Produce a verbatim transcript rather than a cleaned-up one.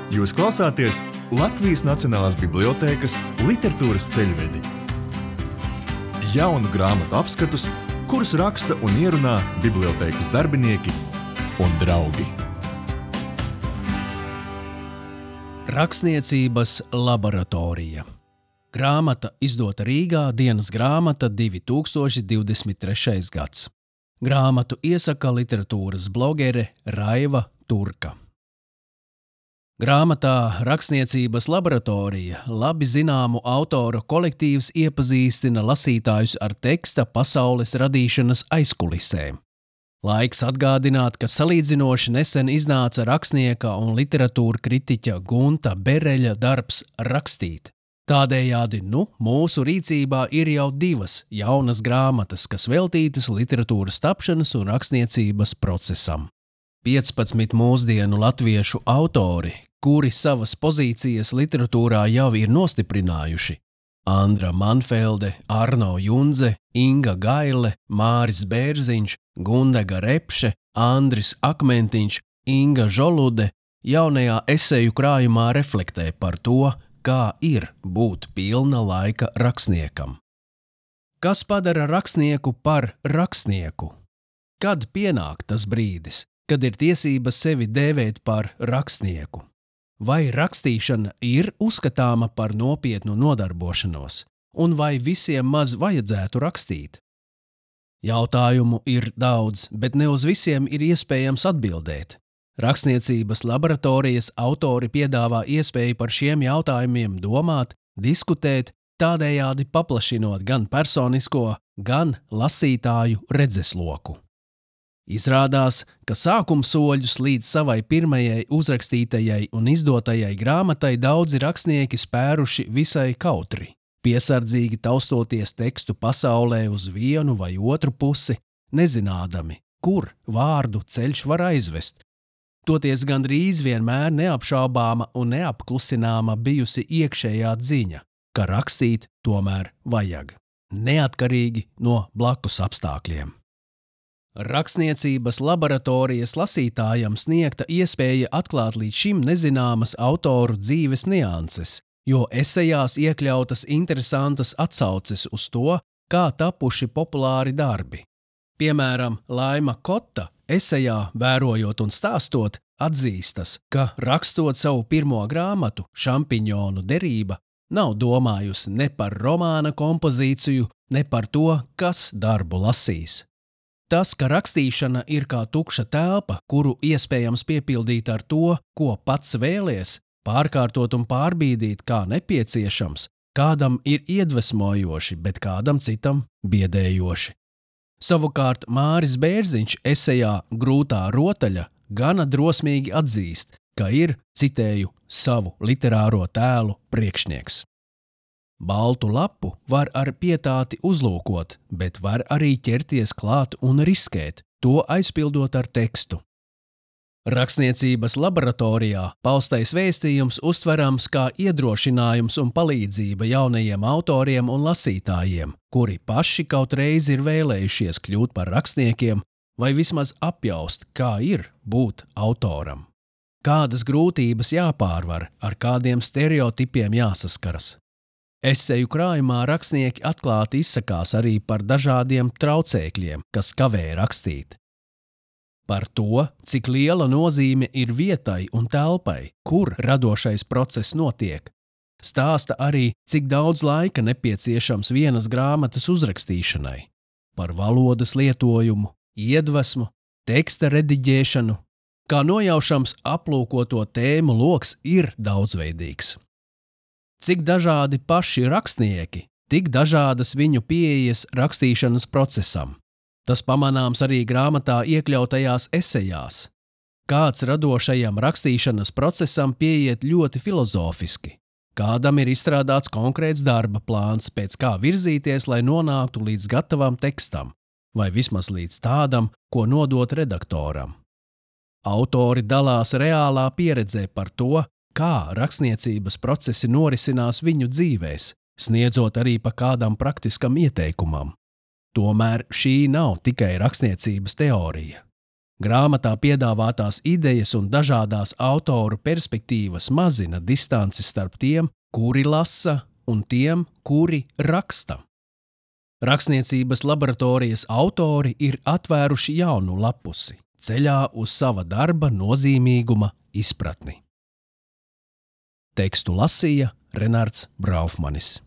Jūs klausāties Latvijas Nacionālās bibliotēkas literatūras ceļvedi. Jaunu grāmatu apskatus, kurus raksta un ierunā bibliotēkas darbinieki un draugi. Rakstniecības laboratorija. Grāmata izdota Rīgā, dienas grāmata divi tūkstoši divdesmit trešais gads. Grāmatu iesaka literatūras blogere Raiva Turka. Grāmatā Rakstniecības laboratorija labi zināmu autoru kolektīvs iepazīstina lasītājus ar teksta pasaules radīšanas aizkulisēm. Laiks atgādināt, ka salīdzinoši nesen iznāca rakstnieka un literatūra kritiķa Gunta Bereļa darbs Rakstīt. Tādējādi, nu, mūsu rīcībā ir jau divas jaunas grāmatas, kas veltītas literatūras tapšanas un rakstniecības procesam. piecpadsmit mūsdienu latviešu autori, kuri savas pozīcijas literatūrā jau ir nostiprinājuši – Andra Manfelde, Arno Junze, Inga Gaile, Māris Bērziņš, Gundega Repše, Andris Akmentiņš, Inga Žolude jaunajā eseju krājumā reflektē par to, kā ir būt pilna laika rakstniekam. Kas padara rakstnieku par rakstnieku? Kad pienāk tas brīdis, kad ir tiesības sevi dēvēt par rakstnieku? Vai rakstīšana ir uzskatāma par nopietnu nodarbošanos, un vai visiem maz vajadzētu rakstīt? Jautājumu ir daudz, bet ne uz visiem ir iespējams atbildēt. Rakstniecības laboratorijas autori piedāvā iespēju par šiem jautājumiem domāt, diskutēt, tādējādi paplašinot gan personisko, gan lasītāju redzesloku. Izrādās, ka sākumsoļus līdz savai pirmajai uzrakstītajai un izdotajai grāmatai daudzi rakstnieki spēruši visai kautri, piesardzīgi taustoties tekstu pasaulē uz vienu vai otru pusi, nezinādami, kur vārdu ceļš var aizvest. Toties gandrīz vienmēr neapšaubāma un neapklusināma bijusi iekšējā dziņa, ka rakstīt tomēr vajag, neatkarīgi no blakus apstākļiem. Rakstniecības laboratorijas lasītājam sniegta iespēja atklāt līdz šim nezināmas autoru dzīves nianses, jo esejās iekļautas interesantas atsauces uz to, kā tapuši populāri darbi. Piemēram, Laima Kota esejā Vērojot un stāstot atzīstas, ka rakstot savu pirmo grāmatu Šampiņonu derība nav domājusi ne par romāna kompozīciju, ne par to, kas darbu lasīs. Tas, ka rakstīšana ir kā tukša telpa, kuru iespējams piepildīt ar to, ko pats vēlies, pārkārtot un pārbīdīt kā nepieciešams, kādam ir iedvesmojoši, bet kādam citam biedējoši. Savukārt Māris Bērziņš esejā Grūtā rotaļa gana drosmīgi atzīst, ka ir, citēju, savu literāro tēlu priekšnieks. Baltu lapu var ar pietāti uzlūkot, bet var arī ķerties klāt un riskēt, to aizpildot ar tekstu. Rakstniecības laboratorijā paustais vēstījums uztverams kā iedrošinājums un palīdzība jaunajiem autoriem un lasītājiem, kuri paši kaut reiz ir vēlējušies kļūt par rakstniekiem vai vismaz apjaust, kā ir būt autoram. Kādas grūtības jāpārvar, ar kādiem stereotipiem jāsaskaras. Eseju krājumā rakstnieki atklāti izsakās arī par dažādiem traucēkļiem, kas kavē rakstīt. Par to, cik liela nozīme ir vietai un telpai, kur radošais process notiek, stāsta arī, cik daudz laika nepieciešams vienas grāmatas uzrakstīšanai, par valodas lietojumu, iedvesmu, teksta rediģēšanu, kā nojaušams aplūkoto tēmu loks ir daudzveidīgs. Cik dažādi paši rakstnieki, tik dažādas viņu pieejas rakstīšanas procesam. Tas pamanāms arī grāmatā iekļautajās esejās. Kāds radošajam rakstīšanas procesam pieiet ļoti filozofiski. Kādam ir izstrādāts konkrēts darba plāns, pēc kā virzīties, lai nonāktu līdz gatavam tekstam, vai vismaz līdz tādam, ko nodot redaktoram. Autori dalās reālā pieredzē par to, kā rakstniecības procesi norisinās viņu dzīvēs, sniedzot arī pa kādam praktiskam ieteikumam. Tomēr šī nav tikai rakstniecības teorija. Grāmatā piedāvātās idejas un dažādās autoru perspektīvas mazina distanci starp tiem, kuri lasa, un tiem, kuri raksta. Rakstniecības laboratorijas autori ir atvēruši jaunu lapusi ceļā uz sava darba nozīmīguma izpratni. Tekstu lasīja Renards Braufmanis.